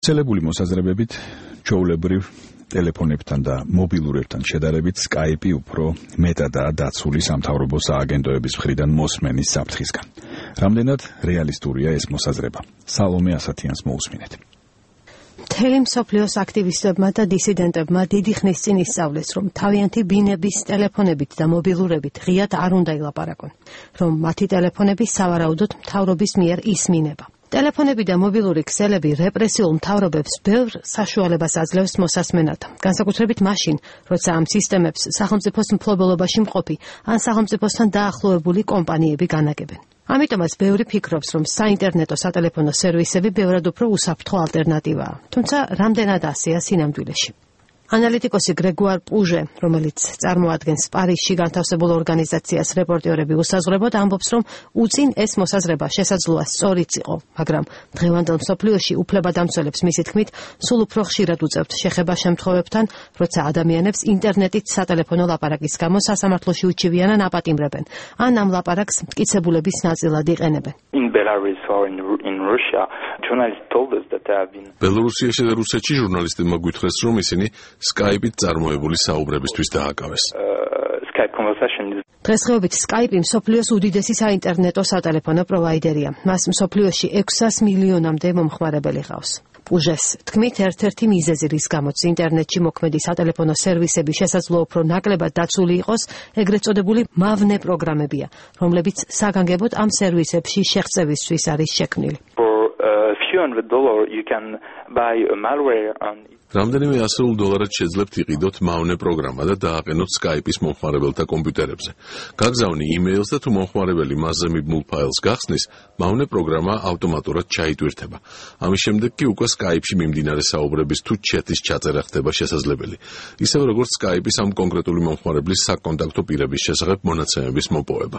ცელებული მოსაზრებებით ჩვეულებრივ ტელეფონებთან და მობილურებთან შედარებით Skype უფრო მეტადაა დაცული სამთავრობო სააგენტოების მხრიდან მოსმენის საფრთხისგან. რამდენად რეალისტურია ეს მოსაზრება? სალომე ასათიანს მოусმინეთ. მთელი მსოფლიოს აქტივისტებმა და დისიდენტებმა დიდი ხნის წინ ისწავლეს, რომ თავიანთი ბინების ტელეფონებით და მობილურებით ღიად არ უნდა ილაპარაკონ, რომ მათი ტელეფონები სავარაუდოდ მთავრობის მიერ ისმინება. ტელეფონები და მობილური ქსელები რეპრესიულ მთავრობებს ბევრ საშუალებას აძლევს მოსასმენად, განსაკუთრებით მაშინ, როცა ამ სისტემებს სახელმწიფოს მფლობელობაში მყოფი ან სახელმწიფოსთან დაახლოებული კომპანიები განაგებენ. ამიტომაც ბევრი ფიქრობს, რომ საინტერნეტო სატელეფონო სერვისები ბევრად უფრო უსაფრთხო ალტერნატივაა, თუმცა რამდენად ასეა სინამდვილეში. ანალიტიკოსი გრეგუარ პუჟე, რომელიც წარმოადგენს პარიზში განთავსებულ ორგანიზაციას რეპორტიორები უსაზღვრებოდ, ამბობს, რომ უწინ ეს მოსაზრება შესაძლოა სწორიც იყო, მაგრამ დღევანდელ მსოფლიოში უფლებადამცველებს მისი თქმით, სულ უფრო ხშირად უწევთ შეხება შემთხვევებთან, როცა ადამიანებს ინტერნეტით სატელეფონო ლაპარაკის გამო სასამართლოში უჩივიან ან აპატიმრებენ, ან ამ ლაპარაკს მტკიცებულების ნაწილად იყენებენ. ბელორუსიაში და რუსეთში ჟურნალისტებმა გვითხრეს, რომ ისინი Skype-ით წარმოებული საუბრებისთვის დააკავეს. დღესდღეობით Skype მსოფლიოს უდიდესი საინტერნეტო სატელეფონო პროვაიდერია. მას მსოფლიოში 600 მილიონამდე მომხმარებელი ჰყავს. პუჟეს თქმით, ერთ-ერთი მიზეზი, რის გამოც ინტერნეტში მოქმედი სატელეფონო სერვისები შესაძლოა უფრო ნაკლებად დაცული იყოს, ეგრეთ წოდებული მავნე პროგრამებია, რომლებიც საგანგებოდ ამ სერვისებში შეღწევისთვის არის შექმნილი. რამდენიმე $100 შეძლებთ იყიდოთ მავნე პროგრამა და დააყენოთ Skype-ის მომხმარებელთა კომპიუტერებზე. გაგზავნი email-ს და თუ მომხმარებელი მასზე მიბმულ ფაილს გახსნის, მავნე პროგრამა ავტომატურად ჩაიტვირთება. ამის შემდეგ კი უკვე Skype-ში მიმდინარე საუბრების თუ ჩეთის ჩაწერა ხდება შესაძლებელი. ისევე როგორც Skype-ის ამ კონკრეტული მომხმარებლის საკონტაქტო პირების შესახებ მონაცემების მოპოვება.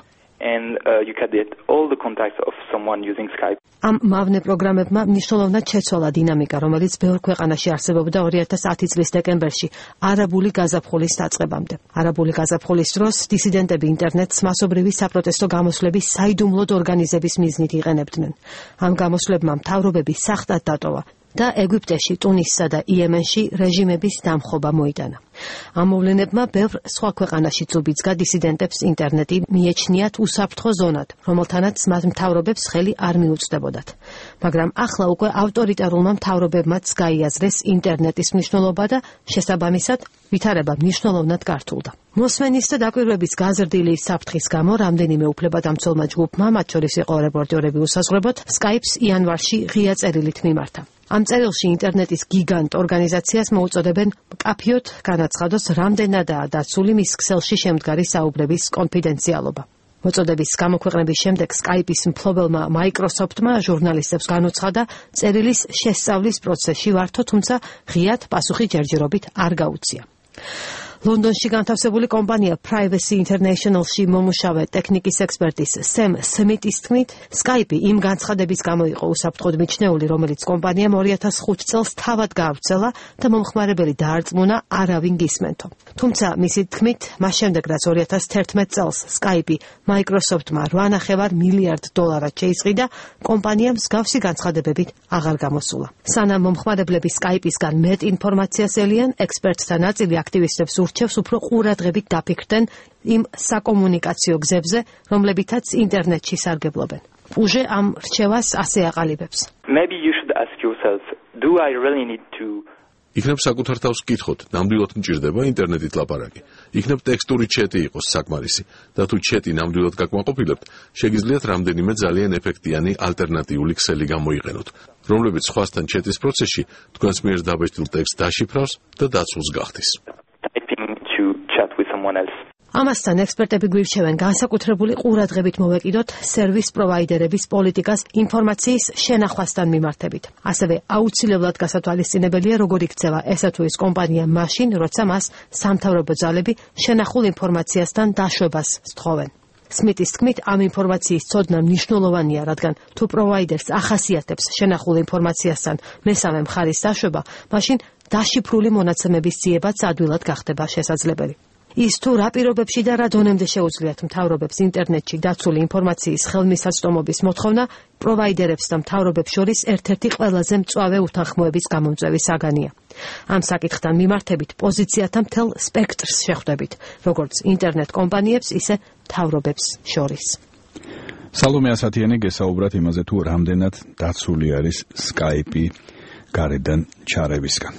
ამ მავნე პროგრამებმა მნიშვნელოვნად შეცვალა დინამიკა, რომელიც ბევრ ქვეყანაში არსებობდა 2010 წლის დეკემბერში, არაბული გაზაფხულის დაწყებამდე. არაბული გაზაფხულის დროს დისიდენტები ინტერნეტს მასობრივი საპროტესტო გამოსვლების საიდუმლოდ ორგანიზების მიზნით იყენებდნენ. ამ გამოსვლებმა მთავრობები სახტად დატოვა და ეგვიპტეში, ტუნისსა და იემენში რეჟიმების დამხობა მოიტანა. ამ მოვლენებმა ბევრ სხვა ქვეყანაშიც უბიძგა დისიდენტებს ინტერნეტი მიეჩნიათ უსაფრთხო ზონად, რომელთანაც მათ მთავრობებს ხელი არ მიუწვდებოდათ. მაგრამ ახლა უკვე ავტორიტარულმა მთავრობებმაც გაიაზრეს ინტერნეტის მნიშვნელობა და შესაბამისად ვითარება მნიშვნელოვნად გართულდა. მოსმენის და დაკვირვების გაზრდილი საფრთხის გამო რამდენიმე უფლებადამცველმა ჯგუფმა, მათ შორის იყო რეპორტიორები უსაზღვრებოდ, Skype-ს იანვარში ღია წერილით მიმართა. ამ წერილში ინტერნეტის გიგანტ ორგანიზაციას მოუწოდებენ მკაფიოდ განაცხადოს, რამდენადაა დაცული მის ქსელში შემდგარი საუბრების კონფიდენციალობა. მოწოდების გამოქვეყნების შემდეგ Skype-ის მფლობელმა Microsoft-მა ჟურნალისტებს განუცხადა, წერილის შესწავლის პროცესში ვართო, თუმცა ღიად პასუხი ჯერჯერობით არ გაუწია. ლონდონში განთავსებული კომპანია Privacy International-ში მომუშავე ტექნიკის ექსპერტის სემ სმიტის თქმით, Skype იმ განცხადების გამო იყო უსაფრთხოდ მიჩნეული, რომელიც კომპანიამ 2005 წელს თავად გაავრცელა და მომხმარებელი დაარწმუნა არავინ გისმენთო. თუმცა მისი თქმით, მას შემდეგ რაც 2011 წელს Skype Microsoft-მა $8.5 მილიარდ შეისყიდა, კომპანიამ მსგავსი განცხადებებით აღარ გამოსულა. სანამ მომხმარებლები Skype-ისგან მეტ ინფორმაციას ელიან, ექსპერტთა ნაწილი აქტივისტებს ურჩევს უფრო ყურადღებით დაფიქრდნენ იმ საკომუნიკაციო გზებზე, რომლებითაც ინტერნეტში სარგებლობენ. პუჟე ამ რჩევას ასე აყალიბებს. იქნებ საკუთარ თავს გკითხოთ, ნამდვილად მჭირდება ინტერნეტით ლაპარაკი. იქნებ ტექსტური ჩეტი იყოს საკმარისი და თუ ჩეტი ნამდვილად გაკმაყოფილებთ, შეგიძლიათ რამდენიმე ძალიან ეფექტიანი ალტერნატიული ქსელი გამოიყენოთ, რომლებიც სხვასთან ჩეტის პროცესში თქვენს მიერ დაბეჭდილ ტექსტს დაშიფრავს და დაცულს გახდის. ამასთან ექსპერტები გვირჩევენ განსაკუთრებული ყურადღებით მოვეკიდოთ სერვის პროვაიდერების პოლიტიკას ინფორმაციის შენახვასთან მიმართებით. ასევე აუცილებლად გასათვალისწინებელია, როგორ იქცევა ესა თუ ის კომპანია მაშინ, როცა მას სამთავრობო ძალები შენახულ ინფორმაციასთან დაშვებას სთხოვენ. სმიტის თქმით, ამ ინფორმაციის ცოდნა მნიშვნელოვანია, რადგან თუ პროვაიდერს ახასიათებს შენახულ ინფორმაციასთან მესამე მხარის დაშვება, მაშინ დაშიფრული მონაცემების ძიებაც ადვილად გახდება შესაძლებელი. ის თუ რა პირობებში და რა დონემდე შეუძლიათ მთავრობებს ინტერნეტში დაცული ინფორმაციის ხელმისაწვდომობის მოთხოვნა პროვაიდერებს და მთავრობებს შორის ერთ-ერთი ყველაზე მწვავე უთანხმოების გამომწვევი საგანია. ამ საკითხთან მიმართებით პოზიციათა მთელ სპექტრს შეხვდებით, როგორც ინტერნეტ კომპანიებს, ისე მთავრობებს შორის. სალომე ასათიანი გესაუბრათ იმაზე, თუ რამდენად დაცული არის Skype-ი გარედან ჩარევისგან.